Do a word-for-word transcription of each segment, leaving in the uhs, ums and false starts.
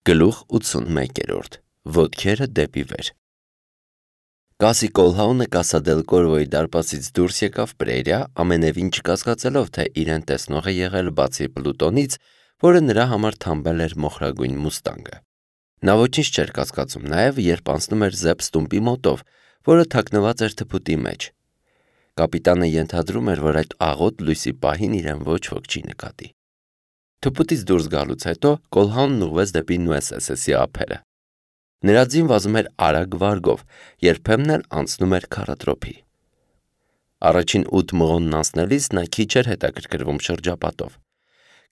Գլուխ ութսունմեկերորդ. Ոտքերը դեպի վեր։ Կասի Կոլհաունը Կասադելկորվոյի դարպասից դուրս եկավ Պրերիա, ամենևին չկասկածելով, թե իրեն տեսնող է եղել բացի Պլուտոնից, որը նրա համար թամբել էր մոխրագույն մուստանգը։ Նա ոչինչ չէր կասկածում նաև, երբ անցնում էր Զեպ ստումպի մոտով, որը թաքնված էր թփուտի մեջ։ Կապիտանը ենթադրում էր, որ այդ աղոտ լույսի պահին իրեն ոչ ոք չի նկատի։ Թփուտից դուրս գալուց հետո Կոլհաունն ուղղվեց դեպի Նուեսեսեսի ափերը։ Նրա ձին վազում էր արագ վարգով, երբեմն էլ անցնում էր քառատրոփի։ Առաջին ութ մղոնն անցնելիս նա քիչ էր հետաքրքրվում շրջապատով։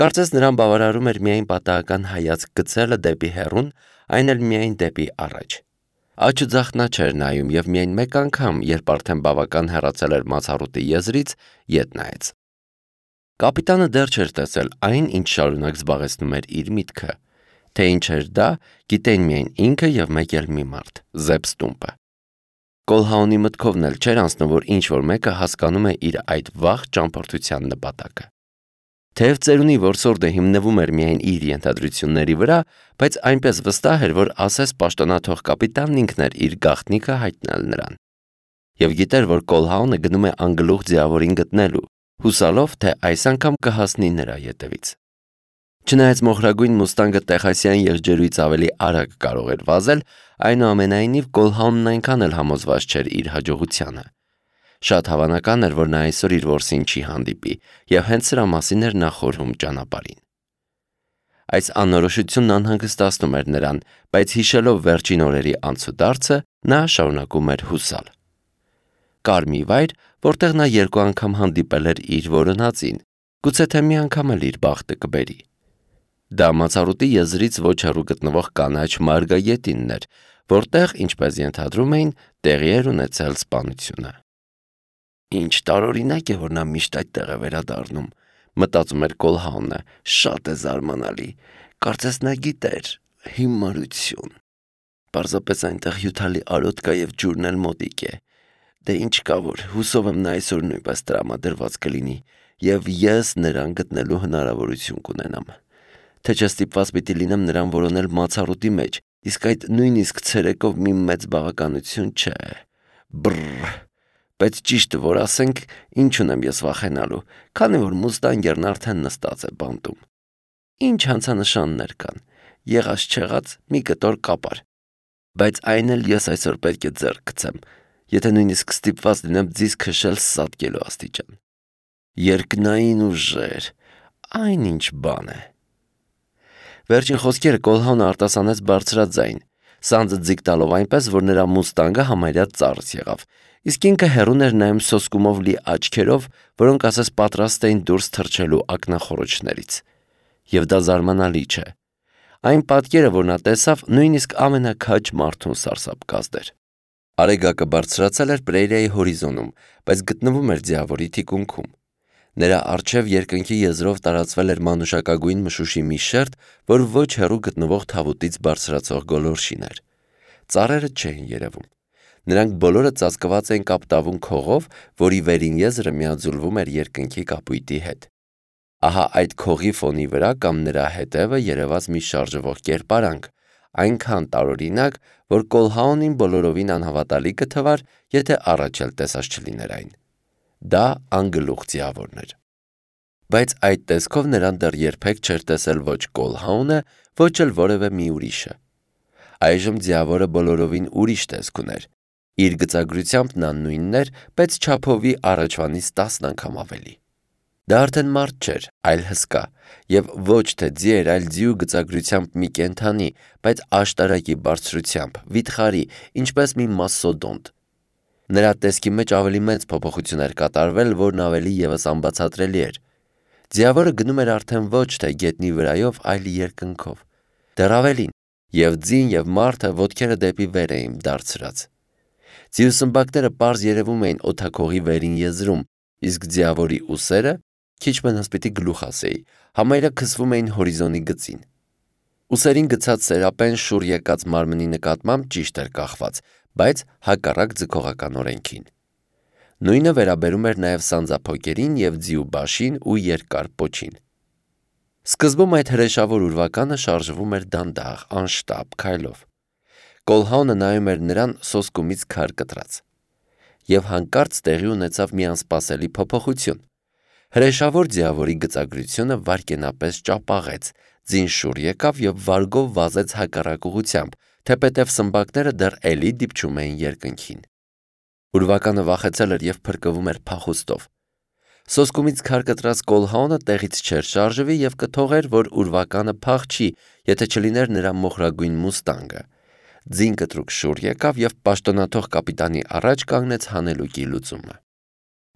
Կարծես նրան բավարարում էր միայն պատահական հայացք գցելը դեպի հեռուն, այն էլ միայն դեպի առաջ։ Աջ ու ձախ նա չէր նայում և միայն մեկ անգամ, երբ արդեն բավական հեռացել էր Մացառուտի եզրից, ետ նայեց։ Կապիտանը դեռ չէր տեսել այն, ինչ շարունակ զբաղեցնում էր իր միտքը։ Թե ինչ էր դա, գիտեին միայն ինքը և մեկ էլ մի մարդ՝ Զեպ ստումպը։ Կոլհաունի մտքովն էլ չէր անցնում, որ ինչ-որ մեկը հասկանում է իր այդ վաղ ճամփորդության նպատակը։ Թեև ծերունի որսորդը հիմնվում էր միայն իր ենթադրությունների վրա, բայց այնպես վստահ էր, որ ասես պաշտոնաթող կապիտանն ինքն էր իր գաղտնիքը հայտնել նրան։ Եվ գիտեր, որ Կոլհաունը գնում է անգլուխ ձիավորին գտնելու, հուսալով, թե այս անգամ կհասնի նրա ետևից։ Չնայած մոխրագույն մուստանգը տեխասյան եղջերուից ավելի արագ կարող էր վազել, այնուամենայնիվ Կոլհաունն այնքան էլ համոզված չէր իր հաջողությանը։ Շատ հավանական էր, որ նա այսօր իր որսին չի հանդիպի, և հենց սրա մասին էր նա խորհում ճանապարհին։ Այս անորոշությունն անհանգստացնում էր նրան, բայց հիշելով վերջին օրերի անցուդարձը, նա շարունակում էր հուսալ։ Կար մի վայր, որտեղ նա երկու անգամ հանդիպել էր իր որոնածին, գուցե թե մի անգամ էլ իր բախտը կբերի։ Դա Մացառուտի եզրից ոչ հեռու գտնվող կանաչ Մարգագետինն էր, որտեղ, ինչպես ենթադրում էին, տեղի էր ունեցել սպանությունը։ Ինչ տարօրինակ է, որ նա միշտ այդտեղ է վերադառնում, մտածում էր Կոլհաունը, շատ է զարմանալի, կարծես նա գիտեր, հիմարություն։ Պարզապես այնտեղ հյութալի արոտ կա և ջուրն էլ մոտիկ է։ Դե ինչ կա որ, հուսով եմ նա այսօր նույնպես տրամադրված կլինի, և ես նրան գտնելու հնարավորություն կունենամ։ Թե չէ ստիպված պիտի լինեմ նրան որոնել Մացառուտի մեջ, իսկ այդ նույնիսկ ցերեկով մի մեծ բավականություն չէ։ Բռռ, բայց ճիշտը որ ասենք, ինչ ունեմ ես վախենալու, քանի որ մուստանգերն արդեն նստած է բանտում։ Ինչ հանցանշաններ կան, եղած-չեղած մի կտոր կապար։ Բայց այն էլ ես այսօր պետք է ձեռք գցեմ, եթե նույնիսկ ստիպված լինեմ ձիզ քշել սատկելու աստիճան։ Երկնային ուժեր, այն ինչ բան է։ Վերջին խոսքերը Կոլհաունը արտասանեց բարձրաձայն, սանձը ձիգ տալով այնպես, որ նրա մուստանգը համարյա ծարս եղավ, իսկ ինքը հեռուն էր նայում սոսկումով լի աչքերով, որոնք ասես պատրաստ էին դուրս թռչելու ակնախոռոչներից։ Եվ դա զարմանալի չէ։ Այն պատկերը, որ նա տեսավ, նույնիսկ ամենաքաջ մարդուն սարսափ կազդեր։ Արեգակը բարձրացել էր Պրերիայի հորիզոնում, բայց գտնվում էր ձիավորի թիկունքում։ Նրա առջև երկնքի եզրով տարածվել էր մանուշակագույն մշուշի մի շերտ, որ ոչ հեռու գտնվող թավուտից բարձրացող գոլորշին էր։ Ծառերը չէին երևում։ Նրանք բոլորը ծածկված էին կապտավուն քողով, որի վերին եզրը միաձուլվում էր երկնքի կապույտի հետ։ Ահա այդ քողի ֆոնի վրա կամ նրա հետևը երևաց մի շարժվող կերպարանք, այնքան տարօրինակ, որ Կոլհաունին բոլորովին անհավատալի կթվար, եթե առաջ էլ տեսած չլիներ այն։ Դա անգլուխ ձիավորն էր։ Բայց այդ տեսքով նրան դեռ երբեք չէր տեսել ոչ Կոլհաունը, ոչ էլ որևէ մի ուրիշը։ Այժմ ձիավորը բոլորովին ուրիշ տեսք ուներ։ Իր գծագրությամբ նա նույնն էր, բայց չափովի առաջվանից տասն անգամ ավելի։ Դա արդեն մարդ չէր, այլ հսկա, և ոչ թե ձի էր, այլ ձիու գծագրությամբ մի կենդանի, բայց աշտարակի բարձրությամբ, վիթխարի, ինչպես մի մասսոդոնտ։ Նրա տեսքի մեջ ավելի մեծ փոփոխություն էր կատարվել, որն ավելի ևս անբացատրելի էր։ Ձիավորը գնում էր արդեն ոչ թե գետնի վրայով, այլ երկնքով։ Դեռ ավելին, և ձին և մարդը ոտքերը դեպի վեր էին դարձրած։ Ձիու սմբակները պարզ երևում էին օդաքողի վերին եզրում, իսկ ձիավորի ուսերը, քիչ մնաց պիտի գլուխ ասեի, համարյա քսվում էին հորիզոնի գծին։ Ուսերին գցած սերապեն շուռ եկած մարմնի նկատմամբ ճիշտ էր կախված, բայց հակառակ ձգողական օրենքին։ Նույնը վերաբերում էր նաև սանձափոկերին և ձիու բաշին ու երկար պոչին։ Սկզբում այդ հրեշավոր ուրվականը շարժվում էր դանդաղ, անշտապ քայլով։ Կոլհաունը նայում էր նրան սոսկումից քար կտրած։ Եվ հանկարծ տեղի ունեցավ մի անսպասելի փոփոխություն։ Հրեշավոր ձիավորի գծագրությունը վայրկենապես ճապաղեց, ձին շուռ եկավ եւ վարգով վազեց հակառակ ուղղությամբ, թեպետև սմբակները դեռ էլի դիպչում էին երկնքին։ Ուրվականը վախեցել էր եւ փրկվում էր փախուստով։ Սոսկումից քար կտրած Կոլհաունը տեղից չէր շարժվի եւ կթողեր, որ ուրվականը փախչի, եթե չլիներ նրա մոխրագույն մուստանգը։ Ձին կտրուկ շուռ եկավ եւ պաշտոնաթող կապիտանի առաջ կանգնեց հանելուկի լուծումը։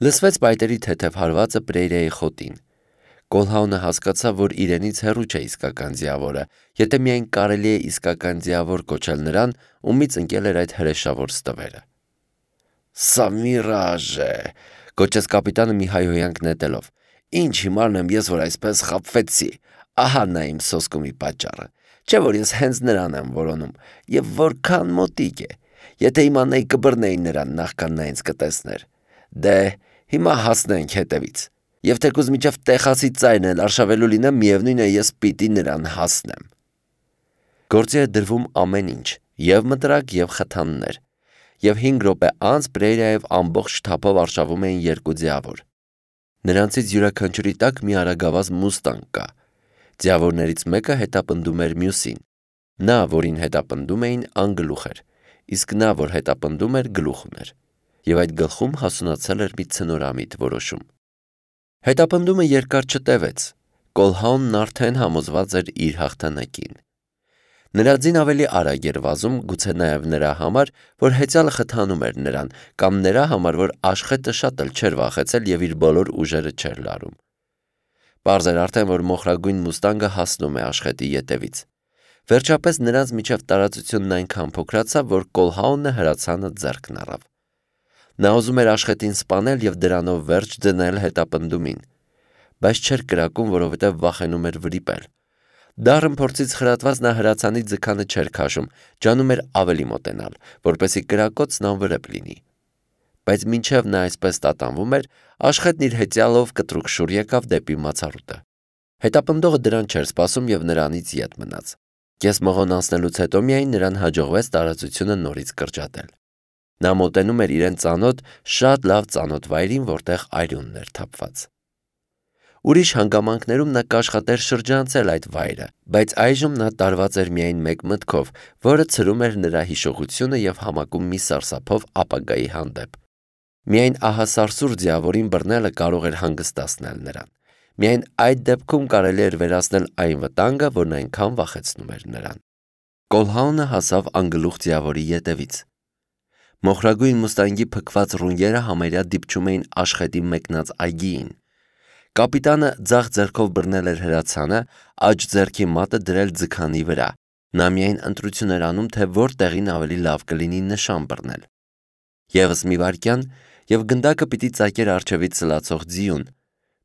Լսվեց պայտերի թեթև հարվածը Պրեյրիայի խոտին։ Կոլհաունը հասկացավ, որ իրենից հեռու չէ իսկական ձիավորը, եթե միայն կարելի է իսկական ձիավոր կոչել նրան, ումից ընկել էր այդ հրեշավոր ստվերը։ «Սա միրաժ է», գոչեց կապիտանը մի հայհոյանք նետելով։ «Ինչ հիմարն եմ ես, որ այսպես խաբվեցի, ահա նա իմ սոսկումի պատճառը, չէ՞ որ ես հենց նրան եմ որոնում, եւ որքան մոտիկ է, եթե իմանայի կբռնեի նրան նախքան նա ինձ կտեսներ։ Դե, հիմա հասնենք հետևից, եւ թեկուզ միջև տեխասի ծայրն էլ արշավելու լինեմ, միևնույն է ես պիտի նրան հասնեմ»։ Գործի է դրվում ամեն ինչ, եւ մտրակ, եւ խթաններ, եւ հինգ րոպե անց Պրեյրիայով ամբողջ թափով արշավում էին երկու ձիավոր։ Նրանցից յուրաքանչյուրի տակ մի արագավազ մուստանգ կա։ Ձիավորներից մեկը հետապնդում էր մյուսին։ Նա, որին հետապնդում էին, անգլուխ էր, իսկ նա, որ հետապնդում էր, գլուխ ուներ, եւ այդ գլխում հասունացել էր մի ցնորամիտ որոշում։ Հետապնդումը երկար չտևեց։ Կոլհաունն արդեն համոզված էր իր հաղթանակին։ Նրա ձին ավելի արագ էր վազում, գուցե նաև նրա համար, որ հեծյալը խթանում էր նրան, կամ նրա համար, որ Աշխետը շատ էլ չէր վախեցել եւ իր բոլոր ուժերը չէր լարում։ Պարզ էր արդեն, որ մոխրագույն մուստանգը հասնում է Աշխետի ետևից։ Վերջապես նրանց միջև տարածությունն այնքան փոքրացավ, որ Կոլհաունը հրացանը ձեռքն առավ։ Նա ուզում էր Աշխետին սպանել եւ դրանով վերջ դնել հետապնդումին, բայց չէր կրակում, որովհետեւ վախենում էր վրիպել։ Դառն փորձից խրատված նա հրացանի ձգանը չէր քաշում, ջանում էր ավելի մոտենալ, որպեսզի կրակոցն անվրեպ լինի։ Բայց մինչև նա այսպես տատանվում էր, Աշխետն իր հեծյալով կտրուկ շուռ եկավ դեպի մացառուտը։ Հետապնդողը դրան չէր սպասում եւ նրանից ետ մնաց։ Կես մղոն անցնելուց հետո միայն նրան հաջողվեց տարածությունը նորից կրճատել։ Նա մոտենում էր իրեն ծանոթ, շատ լավ ծանոթ վայրին, որտեղ արյունն էր թափված։ Ուրիշ հանգամանքներում նա կաշխատեր շրջանցել այդ վայրը, բայց այժմ նա տարված էր միայն մեկ մտքով, որը ցրում էր նրա հիշողությունը եւ համակում մի սարսափով ապագայի հանդեպ։ Միայն ահասարսուր ձիավորին բռնելը կարող էր հանգստացնել նրան։ Միայն այդ դեպքում կարելի էր վերացնել այն վտանգը, որն այնքան վախեցնում էր նրան։ Կոլհաունը հասավ անգլուխ ձիավորի ետևից։ Մոխրագույն մուստանգի փքված ռունգերը համարյա դիպչում էին Աշխետի մեկնած այգիին։ Կապիտանը ձախ ձեռքով բռնել էր հրացանը, աջ ձեռքի մատը դրել ձգանի վրա։ Նա միայն ընտրություն էր անում, թե որտեղին ավելի լավ կլինի նշան բռնել։ Եվս մի վայրկյան, եւ գնդակը պիտի ծակեր առջևից սլացող ձիուն,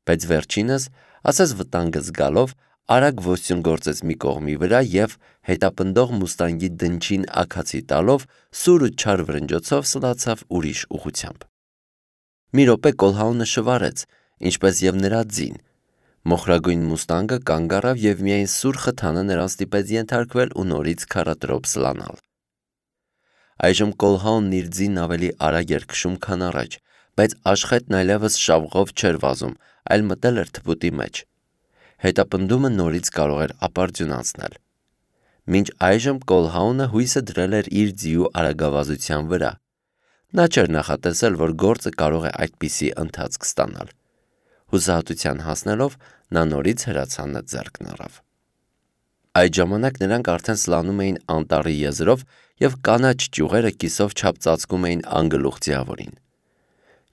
բայց վերջինս, ասես վտանգը զգալով, արագ ոստյուն գործեց մի կողմի վրա եւ հետապնդող մուստանգի դնչին աքացի տալով սուր ու չար վրնջոցով սլացավ ուրիշ ուղությամբ։ Մի րոպե Կոլհաունը շվարեց, ինչպես եւ նրա ձին։ Մոխրագույն մուստանգը կանգ առավ եւ միայն սուր խթանը նրան ստիպեց ենթարկվել ու նորից քառատրոփ սլանալ։ Այժմ Կոլհաունն իր ձին ավելի արագ էր քշում, քան առաջ, բայց Աշխետն այլևս շավղով չէր վազում, այլ մտել էր թփուտի մեջ։ Հետապնդումը նորից կարող էր ապարդյուն անցնել։ Մինչ այժմ Կոլհաունը հույսը դրել էր իր ձիու արագավազության վրա։ Նա չէր նախատեսել, որ գործը կարող է այդպիսի ընթացք ստանալ։ Հուսահատության հասնելով նա նորից հրացանը ձեռքն առավ։ Այդ ժամանակ նրանք արդեն սլանում էին անտառի եզրով եւ կանաչ ճյուղերը կիսով չափ ծածկում էին անգլուխ ձիավորին։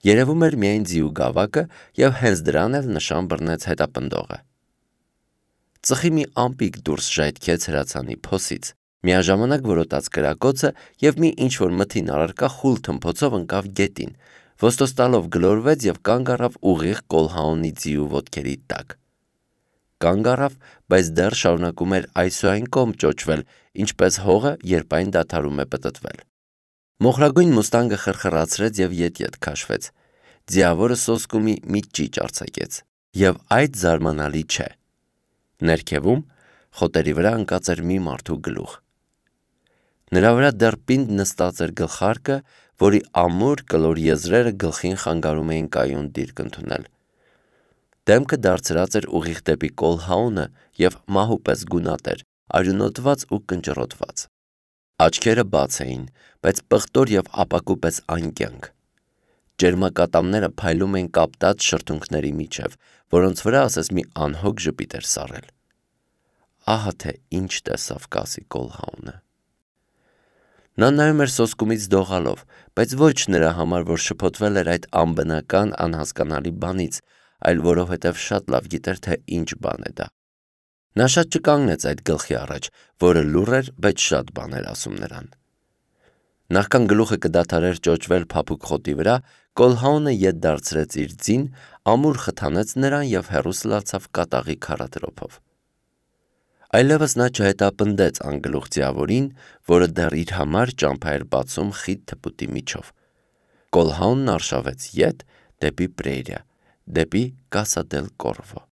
Երևում էր միայն ձիու գավակը եւ հենց դրան էլ նշան բռնեց հետապնդողը։ Ծխի մի ամպիկ դուրս ժայթքեց հրացանի փոսից, միաժամանակ որոտաց կրակոցը եւ մի ինչ-որ մթին առարկա խուլ թմփոցով ընկավ գետին, ոստոստալով գլորվեց եւ կանգ առավ ուղիղ Կոլհաունի ձիու ոտքերի տակ։ Կանգ առավ, բայց դեռ շարունակում էր այսուայն կողմ ճոճվել, ինչպես հողը, երբ այն դադարում է պտտվել։ Մոխրագույն մուստանգը խրխրացրեց եւ ետ-ետ քաշվեց։ Ձիավորը սոսկումի մի ճիճ արձակեց։ Եվ այդ զարմանալի չէ։ Ներքևում խոտերի վրա ընկած էր մի մարդու գլուխ։ Նրա վրա դեռ պինդ նստած էր գլխարկը, որի ամուր կլոր եզրերը գլխին խանգարում էին կայուն դիրք ընդունել։ Դեմքը դարձրած էր ուղիղ դեպի Կոլհաունը և մահու պես գունատ էր, արյունոտված ու կնճռոտված։ Աչքերը բաց էին, բայց պղտոր և ապակու պես անկյանք։ Ջերմակատամները փայլում էին կապտած շրթունքների միջև, որոնց վրա ասես մի անհոգ ժպիտ էր սառել։ Ահա թե ինչ տեսավ Կասի Կոլհաունը։ Նա նայում էր սոսկումից դողալով, բայց ոչ նրա համար, որ շփոթվել էր այդ անբնական, անհասկանալի բանից, այլ որովհետև շատ լավ գիտեր, թե ինչ բան է դա։ Նա շատ չկանգնեց այդ գլխի առաջ, որը լուռ էր, բայց շատ բան էր ասում նրան։ Նախքան գլուխը կդադարեր ճոճվել փափուկ խոտի վրա, Կոլհաունը ետ դարձրեց իր ձին, ամուր խթանեց նրան և հեռու սլացավ կատաղի քարադրոփով։ Այլևս նա չհետապնդեց անգլուխ ձիավորին, որը դեռ իր համար ճամփա էր բացում խիտ թփուտի միջով։ Կոլհաունն արշավեց ետ դեպի Պրերիա, դեպի Կասա դել Կորվո։